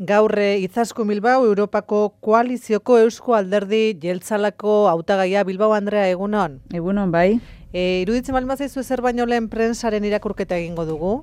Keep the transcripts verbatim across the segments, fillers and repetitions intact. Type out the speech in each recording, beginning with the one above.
Gaur Izaskun Bilbao Europako koalizioko Eusko Alderdi Jeltzalako hautagaia. Bilbao Andrea, egunon. Egunon, bai. E, iruditzen baldin bazaizu ezer baino lehen prentsaren irakurketa egingo dugu.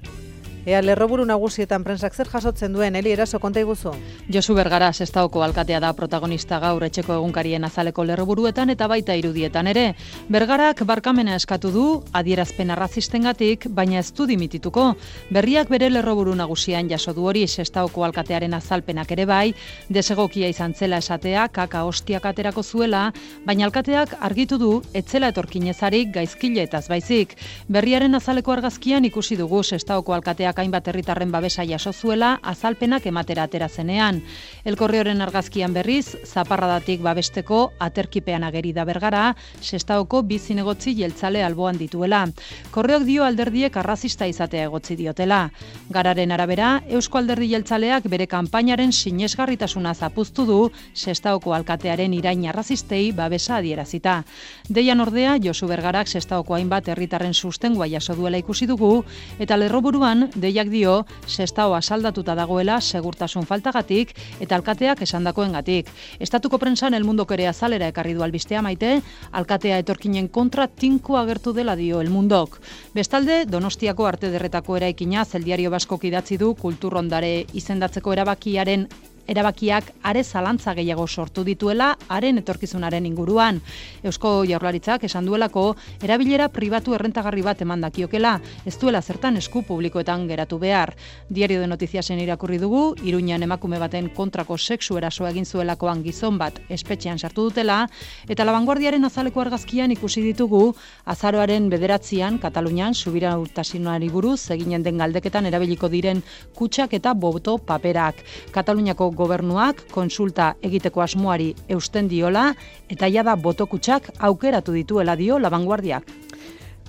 Ea lerroburu nagusietan prentsak zer jasotzen duen, Eli, eraso konta iguzu. Josu Bergara Sestaoko alkatea da protagonista gaur etxeko egunkarien azaleko lerroburuetan eta baita irudietan ere. Bergarak barkamena eskatu du adierazpen arrazistengatik, baina ez du dimitituko. Berriak bere lerroburu nagusian jaso du hori Sestaoko alkatearen azalpenak ere bai, desegokia izan zela esatea, kaka hostiak aterako zuela, baina alkateak argitu du etzela etorkinezarik gaizkiletaz baizik. Berriaren azaleko argazkian ikusi dugu Sestaoko alkateak hainbat herritarren babesa jaso zuela azalpenak ematera atera zenean. El Correoren argazkian berriz, zaparradatik babesteko aterkipean ageri da Bergara, Sestaoko bi zinegotzi jeltzale alboan dituela. Korreok dio alderdiek arrazista izatea egotzi diotela. Gararen arabera, Eusko Alderdi Jeltzaleak bere kanpainaren sinesgarritasuna zapuztu du Sestaoko alkatearen irain arrazistei babesa adierazita. Deian ordea, Josu Bergarak Sestaoko hainbat herritarren sustengua jaso duela ikusi dugu, eta lerroburuan deiak dio Sestao asaldatuta dagoela segurtasun faltagatik eta alkateak esandakoengatik. Estatuko prentsan El Mundok ere azalera ekarri du albistea Maite, alkatea etorkinen kontra tinko agertu dela dio El Mundok. Bestalde, Donostiako Arte Ederretako eraikina Zeldiario Baskok idatzi du kulturrondare izendatzeko erabakiaren erabakiak are zalantza gehiago sortu dituela haren etorkizunaren inguruan. Eusko Jaurlaritzak esan duelako erabilera pribatu errentagarri bat eman dakiokela, ez duela zertan esku publikoetan geratu behar. Diario de Noticiasen irakurri dugu, Iruñan emakume baten kontrako sexu eraso egin zuelakoan gizon bat espetxean sartu dutela, eta La Vanguardiaren azaleko argazkian ikusi ditugu azaroaren bederatzian Katalunian subiranotasunari buruz eginen den galdeketan erabiliko diren kutxak eta boto paperak. Kataluniako gobernuak konsulta egiteko asmoari eusten diola eta jada botokutxak aukeratu dituela dio La Vanguardiak.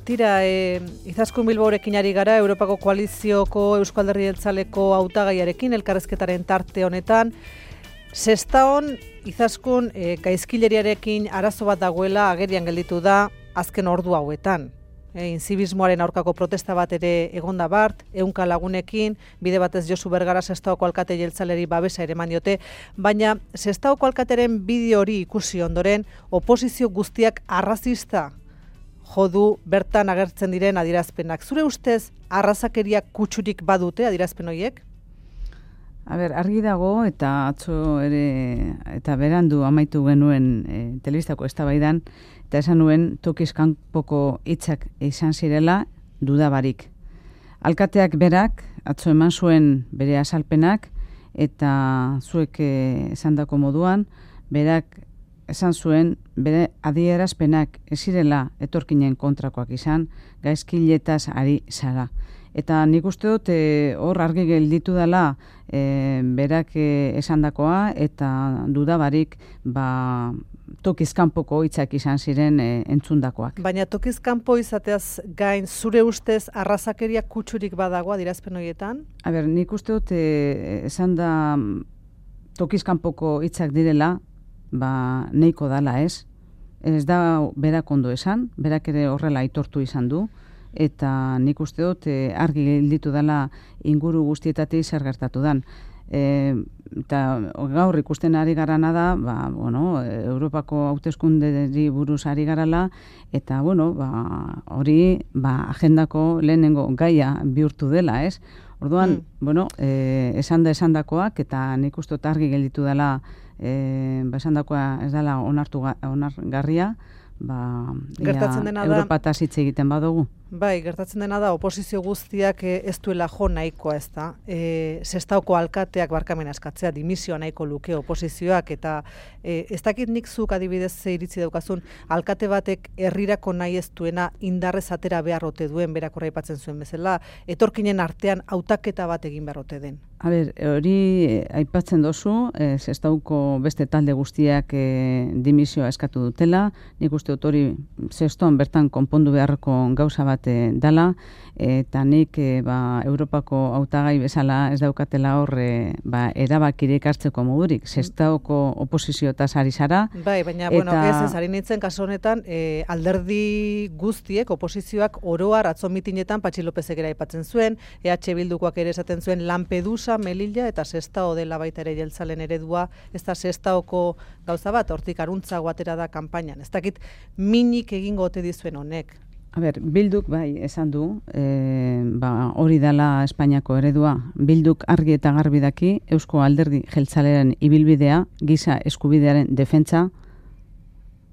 Tira, e, Izaskun Bilbaorekin ari gara, Europako koalizioko Eusko Alderdi Jeltzaleko hautagaiarekin elkarrezketaren tarte honetan. Sestaon Izaskun e, gaizkileriarekin arazo bat dagoela agerian gelditu da azken ordu hauetan. E, inzibismoaren aurkako protesta bat ere egonda bart, ehunka lagunekin, bide batez Josu Bergara Sestaoko alkate jeltzaleri babesa ere eman diote, baina Sestaoko alkateren bideo hori ikusi ondoren, oposizio guztiak arrazista jodu bertan agertzen diren adierazpenak. Zure ustez, arrazakeria kutsurik badute adierazpen horiek? A ber, argi dago eta atzo ere eta berandu amaitu genuen e, telebistako eztabaidan eta esan nuen tokiz kanpoko hitzak izan zirela dudabarik. Alkateak berak atzo eman zuen bere azalpenak eta zuek e, esandako moduan berak esan zuen bere adierazpenak ez zirela etorkinen kontrakoak izan, gaizkiletaz ari zara. Eta nik uste dut e, hor argi gelditu dela e, berak e, esandakoa eta dudabarik ba, tokizkanpoko hitzak izan ziren e, entzundakoak. Baina tokizkanpo izateaz gain zure ustez arrazakeria kutsurik badago adierazpen horietan? A ber, nik uste dut e, esan da tokizkanpoko hitzak direla, ba neiko dala ez. Ez da berak ondo esan, berak ere horrela aitortu izan du. Eta nik uste dut e, argi gelditu dela inguru guztietatik zer gertatu dan. E, eta gaur ikusten ari garana da, ba, bueno, Europako hauteskunderi buruz ari garala, eta bueno, ba, hori ba, agendako lehenengo gaia bihurtu dela, ez? Orduan, mm. bueno, e, esan da esandakoak, eta nik uste dut argi gelditu dela e, ba, esandakoa ez dela onartu onargarria, ba, gertatzen dena da Europataz hitz egiten badugu. Bai, gertatzen dena da oposizio guztiak ez duela jo nahikoa, ez da. E, Sestaoko alkateak barkamena eskatzea, dimisioa nahiko luke oposizioak, eta e, ez dakit nik zuk adibidez ze iritzi daukazun, alkate batek herrirako nahi ez duena indarrez atera beharrote duen, berak aipatzen zuen bezala, etorkinen artean hautaketa bat egin beharrote den. A ber, hori aipatzen dozu, e, Sestauko beste talde guztiak e, dimisioa eskatu dutela, nik uste dut hori Seston bertan konpondu beharreko gauza bat bat e, dala, eta nik e, ba, Europako hautagai bezala ez daukatela hor e, ba, erabakirik hartzeko modurik. Sestaoko oposiziotaz ari zara. Bai, baina eta... bueno, ez ez ari nintzen kasu honetan e, alderdi guztiek, oposizioak oroar atzo mitinetan Patxi Lopezek ere aipatzen zuen, E H Bildukoak ere esaten zuen Lampedusa, Melilla eta Sestao dela baita ere jeltzalen eredua, ez da Sestaoko gauza bat, hortik aruntza guatera da kanpainan. Ez dakit minik egingo ote dizuen honek. A ber, Bilduk bai esan du, e, ba, hori dela Espainiako eredua. Bilduk argi eta garbi daki Eusko Alderdi Jeltzalearen ibilbidea, giza eskubidearen defentsa,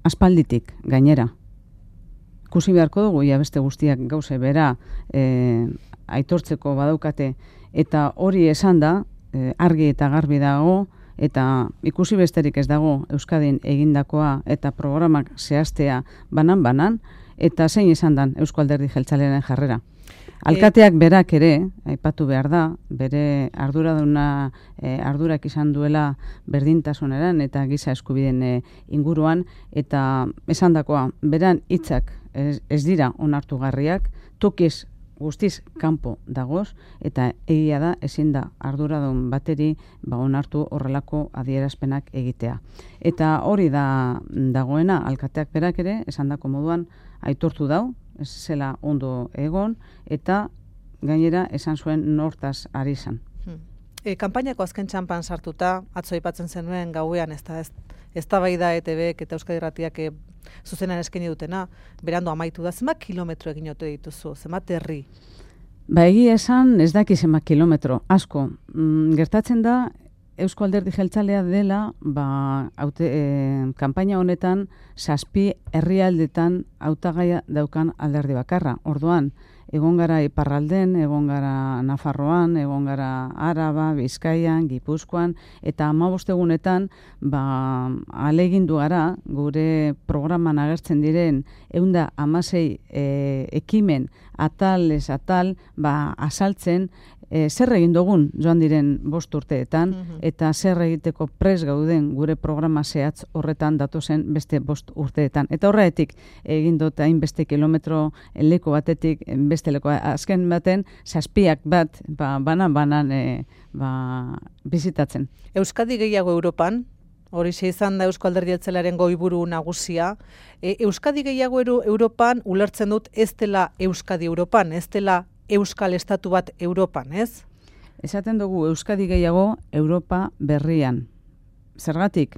aspalditik gainera. Ikusi beharko dugu, ja beste guztiak gauze bera e, aitortzeko badaukate, eta hori esan da, e, argi eta garbi dago, eta ikusi besterik ez dago Euskadin egindakoa eta programak zehaztea banan-banan, eta zein izan dan Eusko Alderdi Jeltzalearen jarrera. Alkateak berak ere, aipatu behar da, bere arduraduna, e, ardurak izan duela berdintasuneran eta giza eskubideen e, inguruan, eta esandakoa, beran hitzak ez, ez dira onartugarriak, tokiz guztiz kanpo dagoz, eta egia da ezin da arduradun bateri ba onartu horrelako adierazpenak egitea. Eta hori da dagoena, alkateak berak ere, esandako moduan aitortu dau, ez zela ondo egon, eta gainera esan zuen nortaz ari izan. Hmm. E, kanpainako azken txanpan sartuta, atzo aipatzen zenuen gauean, ez da, ez, ez da bai da E T Bek eta Euskadi Irratiak e, zuzenan eskaini dutena, berandu amaitu da, zenbat kilometro egin ote dituzu, zenbat herri? Ba egia esan ez daki zenbat kilometro, asko. Mm, gertatzen da, Eusko Alderdi Jeltzalea dela, ba, haute, e, kanpaina honetan, zazpi herrialdetan hautagaia daukan alderdi bakarra. Orduan, egon gara Iparralden, egon gara Nafarroan, egon gara Araba, Bizkaian, Gipuzkoan, eta hamabost egunetan ba, ahalegindu gara gure programan agertzen diren ehun hamasei e, ekimen atal ez atal ba, azaltzen e, zer egin dugun joan diren bost urteetan, mm-hmm. eta zer egiteko pres gauden gure programa zehatz horretan datozen beste bost urteetan. Eta horretik egin dut hainbeste kilometro leku batetik beste leku. Azken baten, zazpiak bat ba, banan-banan e, ba, bizitatzen. Euskadi gehiago Europan, hori izan da Eusko Alderdi Jeltzalearen goiburu nagusia. E, Euskadi gehiago Euro, Europan ulertzen dut ez dela Euskadi Europan, ez dela Euskal Estatu bat Europan, ez? Esaten dugu Euskadi gehiago Europa berrian. Zergatik,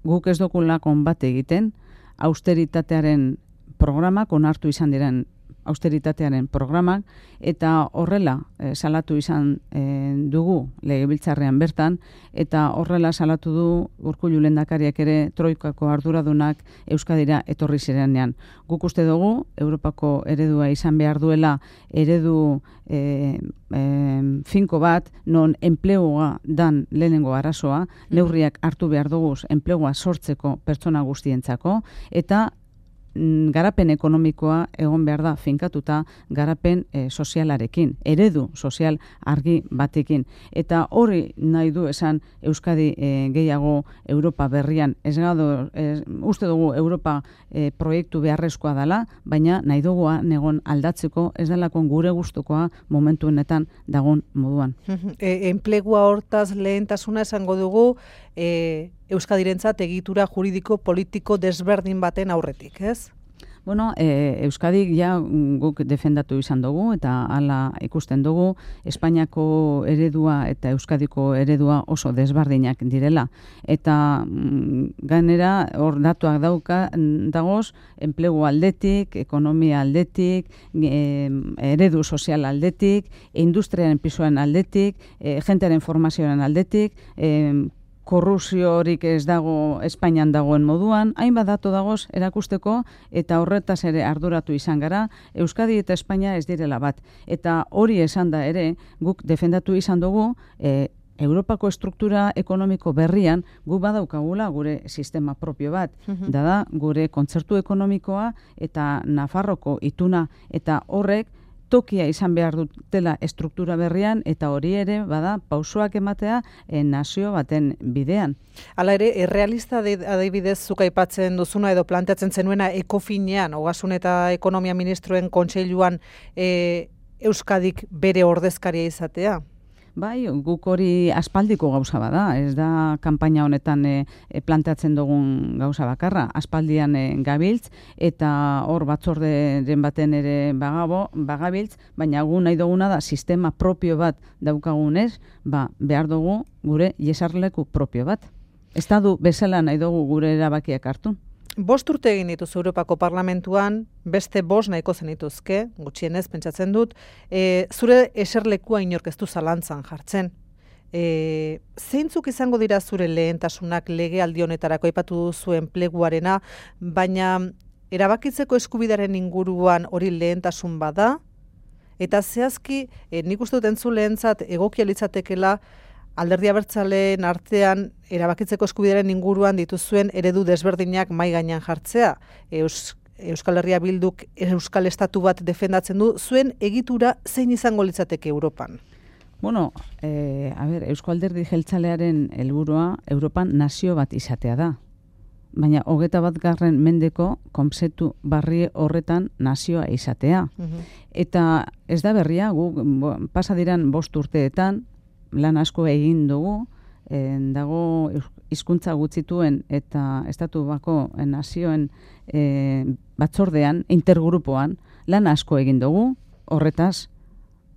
guk ez dokulakon bat egiten, austeritatearen programak, onartu izan diren austeritatearen programak, eta horrela e, salatu izan e, dugu legebiltzarrean bertan, eta horrela salatu du Urkullu lehendakariak ere troikako arduradunak Euskadira etorri zirenean. Guk uste dugu, Europako eredua izan behar duela eredu e, e, finko bat, non enplegua dan lehenengo arazoa, neurriak hartu behar dugu enplegua sortzeko pertsona guztientzako, eta garapen ekonomikoa egon behar da finkatuta garapen e, sozialarekin, eredu sozial argi batekin. Eta hori nahi du esan Euskadi e, gehiago Europa berrian. Ez gado, ez, uste dugu Europa e, proiektu beharrezkoa dela, baina nahi dugu negon aldatzeko ez delakon gure gustukoa momentu honetan dagon moduan. E, enplegua hortaz lehentasuna esango dugu e, Euskadirentzat egitura juridiko politiko desberdin baten aurretik, ez? Bueno, e, Euskadik ja guk defendatu izan dugu eta hala ikusten dugu Espainiako eredua eta Euskadiko eredua oso desberdinak direla. Eta mm, gainera hor datuak dauka dagoz enplegu aldetik, ekonomia aldetik, e, eredu sozial aldetik, industriaren pisoen aldetik, e, jentearen formazioaren aldetik, e, korrupziorik ez dago Espainian dagoen moduan, hainbat datu dagoz erakusteko eta horretaz ere arduratu izan gara, Euskadi eta Espainia ez direla bat. Eta hori esan da ere, guk defendatu izan dugu, e, Europako estruktura ekonomiko berrian gu badaukagula gure sistema propio bat. Mm-hmm. Da da, gure kontzertu ekonomikoa eta Nafarroko ituna eta horrek tokia izan behar dutela estruktura berrian, eta hori ere, bada, pausoak ematea e, nazio baten bidean. Hala ere, errealista adibidez zuk aipatzen duzuna edo planteatzen zenuena ekofinean, ogasun eta ekonomia ministroen kontseiluan e, Euskadik bere ordezkaria izatea? Bai, guk hori aspaldiko gauza bada, ez da kanpaina honetan e, e, planteatzen dugun gauza bakarra. Aspaldian e, gabiltz, eta hor batzorderen baten ere bagabo, bagabiltz, baina gu nahi duguna da sistema propio bat daukagunez, ba, behar dugu gure jesarleku propio bat. Estatu bezala nahi dugu gure erabakiak hartu. Bost urte egin dituz Europako Parlamentuan, beste bost nahiko zenituzke, gutxienez pentsatzen dut, e, zure eserlekua inork ez du zalantzan jartzen. E, zeintzuk izango dira zure lehentasunak legealdi honetarako aipatu duzu enpleguarena, baina erabakitzeko eskubidaren inguruan hori lehentasun bada, eta zehazki e, nik uste dut entzulentzat egokia litzatekela Alderdi Abertzaleen artean erabakitzeko eskubidearen inguruan dituzuen eredu desberdinak mai gainean jartzea. Eus, Euskal Herria Bilduk Euskal Estatu bat defendatzen du, zuen egitura zein izango litzateke Europan? Bueno, eh, a ber, Eusko Alderdi Jeltzalearen helburua Europan nazio bat izatea da. Baina hogeta bat garren mendeko konzeptu barri horretan nazioa izatea. Uh-huh. Eta ez da berria, gu pasadiran bost urteetan, lan asko egin dugu, en, dago hizkuntza gutxituen eta estatu bako nazioen e, batzordean, intergrupoan, lan asko egin dugu, horretaz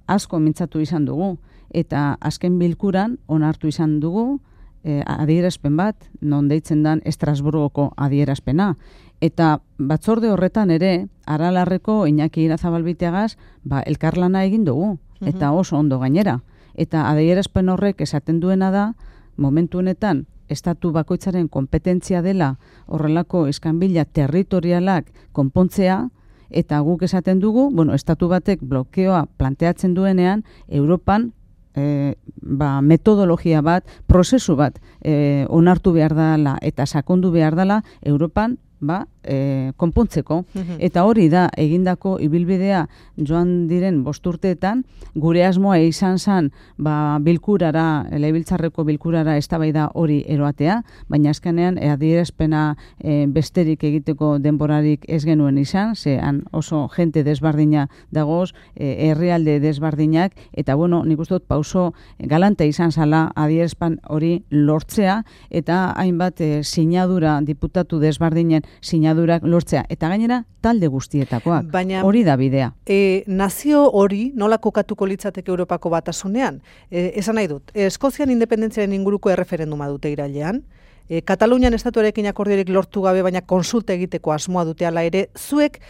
asko mintzatu izan dugu, eta azken bilkuran onartu izan dugu e, adierazpen bat, non deitzen dan Estrasburgoko adierazpena. Eta batzorde horretan ere, Aralarreko Iñaki Irazabalbiteagaz, ba, elkarlana egin dugu, eta oso ondo gainera. Eta adierazpen horrek esaten duena da, momentu honetan, estatu bakoitzaren kompetentzia dela horrelako iskanbila territorialak konpontzea, eta guk esaten dugu, bueno, estatu batek blokeoa planteatzen duenean, Europan e, ba, metodologia bat, prozesu bat e, onartu behar dela eta sakondu behar dela Europan, ba, e, konpontzeko. Uh-huh. Eta hori da, egindako ibilbidea joan diren bosturteetan, gure asmoa izan zen ba, bilkurara, legebiltzarreko bilkurara eztabaida hori eroatea, baina azkenean e, adierazpena e, besterik egiteko denborarik ez genuen izan, zean oso jente desbardina dagoz, e, herrialde desbardinak, eta bueno, nik uste dut pauso galante izan zala adierazpen hori lortzea, eta hainbat e, sinadura diputatu desbardinen sinadurak lortzea, eta gainera talde guztietakoak. Baina, hori da bidea. E, nazio hori nola kokatuko litzateke Europako batasunean? E, esan nahi dut, Eskozian independentziaren inguruko erreferenduma dute irailean, e, Katalunian estatuarekin akordiorik lortu gabe, baina konsulta egiteko asmoa dute ala ere, zuek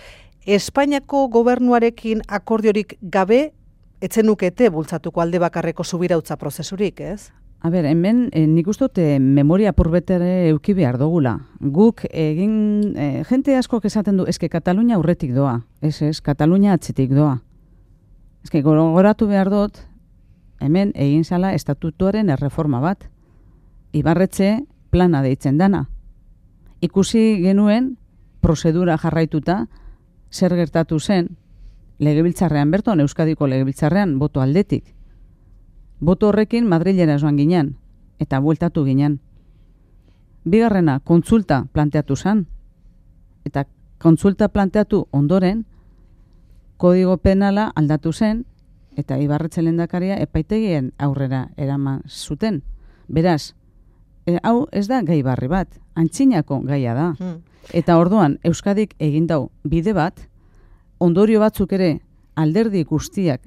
Espainiako gobernuarekin akordiorik gabe etzenukete bultzatuko alde bakarreko subirautza prozesurik, ez? A ber, hemen eh, nik uste dut eh, memoria purbetere euki behar dugula. Guk egin, eh, jente askok esaten du, eske Katalunia aurretik doa, ez ez, Katalunia atzetik doa. Eske gogoratu behar dut, hemen egin zala estatutuaren erreforma bat. Ibarretxe plana deitzen dana. Ikusi genuen, prozedura jarraituta, zer gertatu zen, legebiltzarrean berton, Euskadiko legebiltzarrean, boto aldetik. Boto horrekin Madrilera joan ginen, eta bueltatu ginen. Bigarrena, kontsulta planteatu zen, eta kontsulta planteatu ondoren, kodigo penala aldatu zen, eta Ibarretxe lehendakaria epaitegien aurrera eraman zuten. Beraz, e, hau ez da gai barri bat, antzinako gaia da. Hmm. Eta orduan, Euskadik egin dau bide bat, ondorio batzuk ere alderdi guztiak,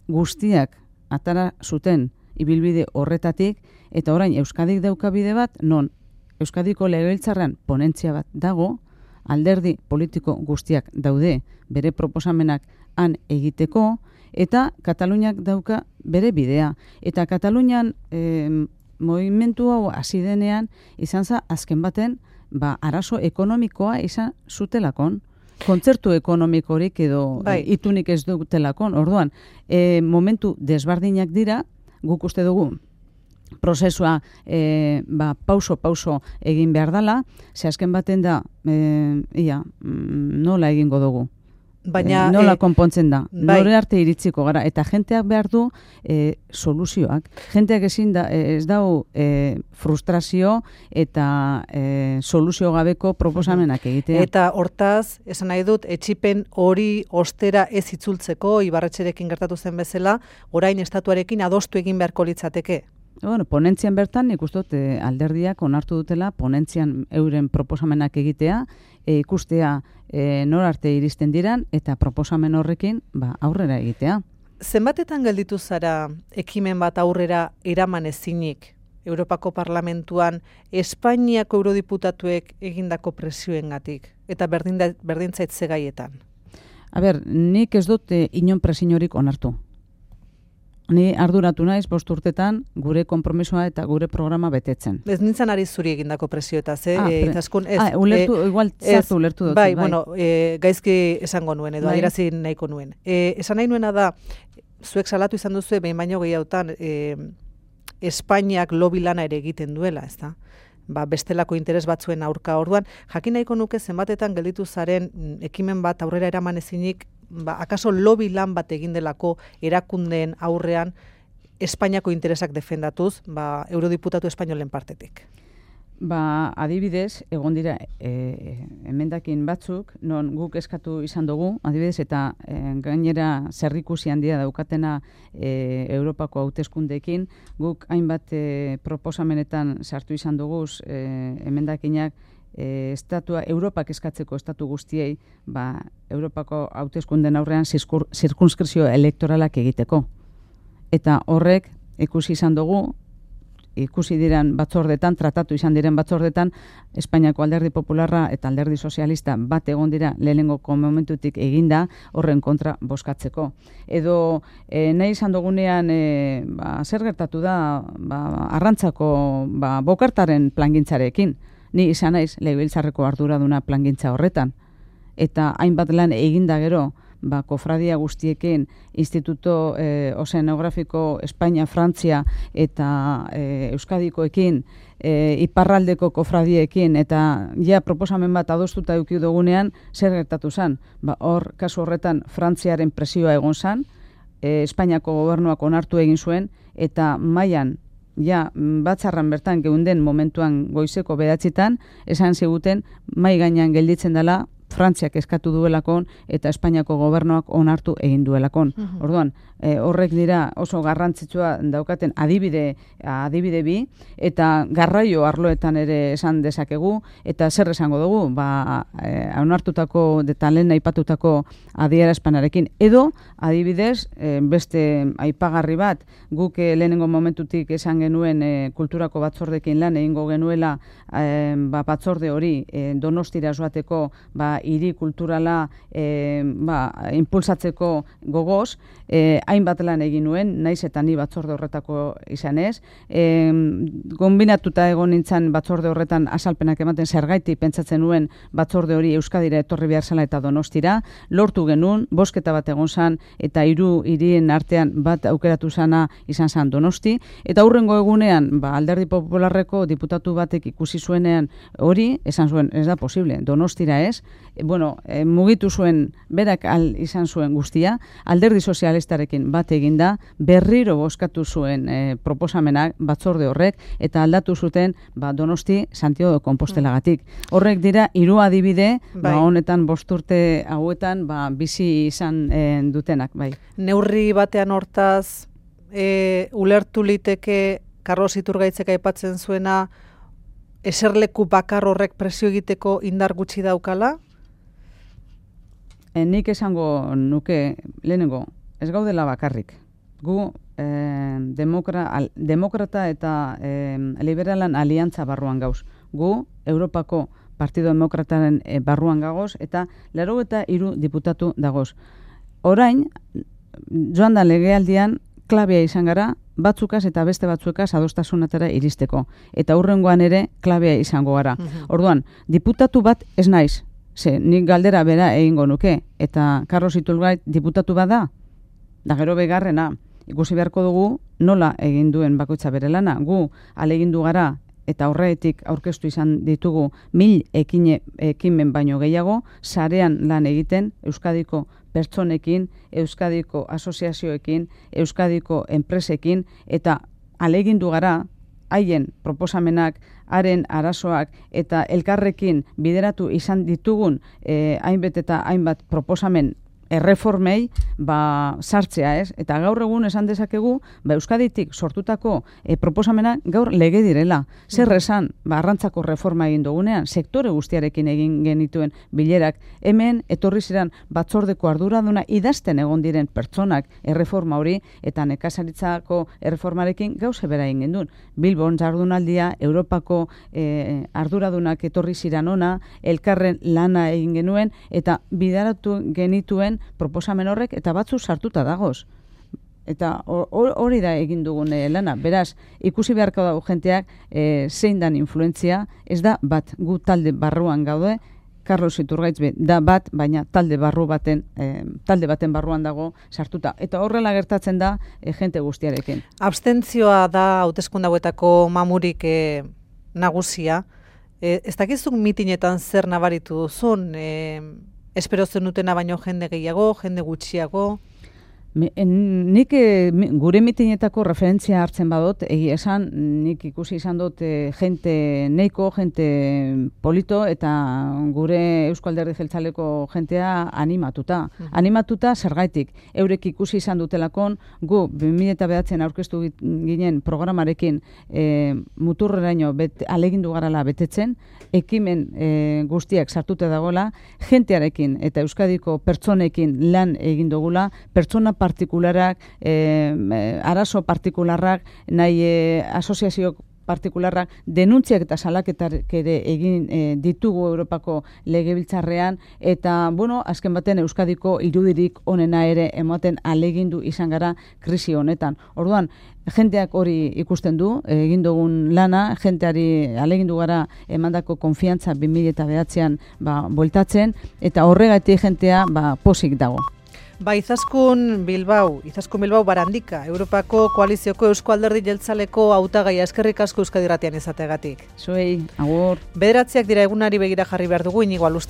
guztiak atara zuten ibilbide horretatik, eta orain Euskadik dauka bide bat, non Euskadiko legebiltzarrean ponentzia bat dago, alderdi politiko guztiak daude bere proposamenak han egiteko, eta Kataluniak dauka bere bidea. Eta Katalunian eh, movimentu hau hasi denean izan za azken baten ba, arazo ekonomikoa izan zutelakon, kontzertu ekonomikorik edo bai. Itunik ez dutelakon. Orduan, e, momentu desbardinak dira, guk uste dugu prozesua e, ba, pauso-pauso egin behar dela, ze azken baten da, e, ia, nola egingo dugu. Baina, e, nola e, konpontzen da, bai. nore arte iritziko gara, eta jenteak behar du e, soluzioak. Jenteak ezin da, ez dau e, frustrazio eta e, soluzio gabeko proposamenak egitea. Eta hortaz, esan nahi dut, etxipen hori ostera ez itzultzeko, Ibarretxerekin gertatu zen bezala, orain estatuarekin adostu egin beharko litzateke. Bueno, ponentzian bertan, nik uste dut, e, alderdiak onartu dutela, ponentzian euren proposamenak egitea, e, ikustea e, nor arte iristen diran, eta proposamen horrekin ba, aurrera egitea. Zenbatetan gelditu zara ekimen bat aurrera eraman ezinik Europako Parlamentuan Espainiako eurodiputatuek egindako presioengatik eta berdin berdintzaitze gaietan? A ber, nik ez dut e, inon presiorik onartu. Ni arduratu naiz bost urtetan gure konpromisoa eta gure programa betetzen. Ez nintzen ari zuri egindako presioetaz, eh? Ah, e, Izaskun, ez, ah, ulertu, e, igual zartu ulertu dut. Bai, bai. bueno, e, gaizki esango nuen, edo Bai. adierazi nahiko nuen. E, esan nahi nuena da, zuek salatu izan duzu, behin baino gehiagotan, e, Espainiak lobi lana ere egiten duela, ezta? Ba, bestelako interes batzuen aurka orduan, jakin nahiko nuke zenbatetan gelditu zaren ekimen bat aurrera eraman ezinik, ba, akaso lobi lan bat egin delako erakundeen aurrean Espainiako interesak defendatuz, ba, eurodiputatu espainolen partetik. Ba, adibidez, egon dira e, emendakin batzuk, non guk eskatu izan dugu, adibidez, eta e, gainera zerrikusi handia daukatena e, Europako hauteskundeekin, guk hainbat e, proposamenetan sartu izan dugu e, emendakinak e, estatua, Europak eskatzeko estatu guztiei, ba, Europako hauteskunden aurrean zirkunskrizio elektoralak egiteko. Eta horrek ikusi izan dugu, ikusi diren batzordetan, tratatu izan diren batzordetan, Espainiako alderdi popularra eta alderdi sozialista bat egon dira lehenengoko momentutik eginda horren kontra bozkatzeko. Edo e, nahi izan dugunean e, ba, zer gertatu da ba, arrantzako ba, bokartaren plangintzarekin. Ni izan naiz legebiltzarreko arduraduna plangintza horretan. Eta hainbat lan eginda gero, ba, kofradia guztiekin, Instituto eh, Ozeanografiko Espainia, Frantzia eta eh, Euskadikoekin, eh, iparraldeko kofradiekin, eta ja proposamen bat adostuta eduki dugunean, zer gertatu zen? Ba, hor, kasu horretan, Frantziaren presioa egon zen, eh, Espainiako gobernuak onartu egin zuen, eta mailan ja, batzarran bertan geunden momentuan goizeko bedatzitan, esan ziguten, mai gainean gelditzen dela, Frantziak eskatu duelakon eta Espainiako gobernuak onartu egin duelakon. Uh-huh. Orduan, e, horrek dira oso garrantzitsua daukaten adibide, adibide bi, eta garraio arloetan ere esan dezakegu, eta zer esango dugu, ba, e, onartutako, eta lehen aipatutako adierazpenarekin. Edo, adibidez, e, beste aipagarri bat, guk e, lehenengo momentutik esan genuen e, kulturako batzordekin lan egingo genuela e, ba, batzorde hori e, Donostira joateko ba, hiri kulturala e, ba, impulsatzeko gogoz, e, hainbat lan egin nuen, naiz eta ni batzorde horretako izanez. E, Gonbinatuta egon nintzen batzorde horretan azalpenak ematen zergaiti pentsatzen nuen batzorde hori Euskadira etorri behar zela eta Donostira, lortu genuen, bosketa bat egon zan, eta hiru hirien artean bat aukeratu zana izan zan Donosti, eta hurrengo egunean, ba, Alderdi Popularreko diputatu batek ikusi zuenean hori, esan zuen, ez da posible, Donostira ez, e, bueno, e, mugitu zuen, berak al izan zuen guztia, Alderdi Sozialistarekin bat eginda, berriro bozkatu zuen e, proposamenak batzorde horrek, eta aldatu zuten ba, Donosti Santiago de Compostelagatik. Horrek dira hiru adibide, bai. Ba, honetan bost urte hauetan ba, bizi izan e, dutenak. Bai. Neurri batean hortaz, e, ulertu liteke Carlos Iturgaitzek aipatzen zuena, eserleku bakar horrek presio egiteko indar gutxi daukala? E, nik esango nuke, lehenengo, ez gaudela bakarrik. Gu eh, demokra, al, demokrata eta eh, liberalan aliantza barruan gauz. Gu Europako Partido Demokrataren eh, barruan gagoz eta laro eta hiru diputatu dagoz. Orain, joan da legealdian, klabea izan gara, batzukaz eta beste batzukaz adostasunatara iristeko. Eta hurrengoan ere klabea izango gara. Uh-huh. Orduan, diputatu bat ez naiz. Ze, nik galdera bera egingo nuke. Eta Carlos Iturgaiz diputatu bada, da gero begarrena, ikusi beharko dugu nola egin duen bakoitza bere lana. Gu alegindu gara eta horretik aurkeztu izan ditugu mil ekine, ekimen baino gehiago, sarean lan egiten Euskadiko pertsonekin, Euskadiko asoziazioekin, Euskadiko enpresekin, eta alegindu gara, haien proposamenak, haren arazoak eta elkarrekin bideratu izan ditugun eh, hainbat eta hainbat proposamen erreformei ba, sartzea, ez? Eta gaur egun esan dezakegu, ba, Euskaditik sortutako e, proposamena gaur lege direla. Zer esan, ba, arrantzako reforma egin dugunean, sektore guztiarekin egin genituen bilerak, hemen etorri ziren batzordeko arduraduna idazten egon diren pertsonak erreforma hori, eta nekazaritzako erreformarekin gauze bera egin gendun. Bilbon jardunaldia, Europako e, arduradunak etorri ziren ona, elkarren lana egin genuen, eta bidaratu genituen proposamen horrek eta batzu sartuta dagoz. Eta hori da egin dugun e, lana. Beraz, ikusi beharko dago jenteak e, zein dan influentzia, ez da bat gu talde barruan gaude, Carlos Iturgaitz be, da bat, baina talde barru baten, e, talde baten barruan dago sartuta. Eta horrela gertatzen da e, jente guztiarekin. Abstentzioa da hauteskunde hauetako mamurik e, nagusia. E, ez dakizuk mitinetan zer nabaritu duzun? E, Espero zenutena baino jende gehiago, jende gutxiago? Me, en, nik e, gure mitinetako referentzia hartzen badot, egia esan, nik ikusi izan dut e, jente neiko, jente polito, eta gure Eusko Alderdi Jeltzaleko jentea animatuta. Uh-huh. Animatuta zergaitik. Eurek ikusi izan dutelakon, gu bi mila bederatzen aurkeztu ginen programarekin e, muturreraino bet, alegindu garala betetzen, ekimen e, guztiak sartuta dagoela, jentearekin eta Euskadiko pertsonekin lan egin dugula, pertsona partikularak, eh, arazo partikularrak, nahi eh, asoziazio partikularrak, denuntziak eta salaketak ere egin eh, ditugu Europako legebiltzarrean, eta, bueno, azken baten Euskadiko irudirik onena ere ematen alegindu izan gara krisi honetan. Orduan, jenteak hori ikusten du, egin dugun lana, jenteari alegindu gara emandako konfiantza bi mila bederatzian ba, bueltatzen, eta horregatik jentea ba, posik dago. Ba, Izaskun Bilbao, Izaskun Bilbao Barandika, Europako Koalizioko Eusko Alderdi Jeltzaleko hautagaia, eskerrik asko Euskadi Irratian izateagatik. Zuei, agur. Bederatziak dira egunari begira jarri behar dugu, Inigo Alustiz.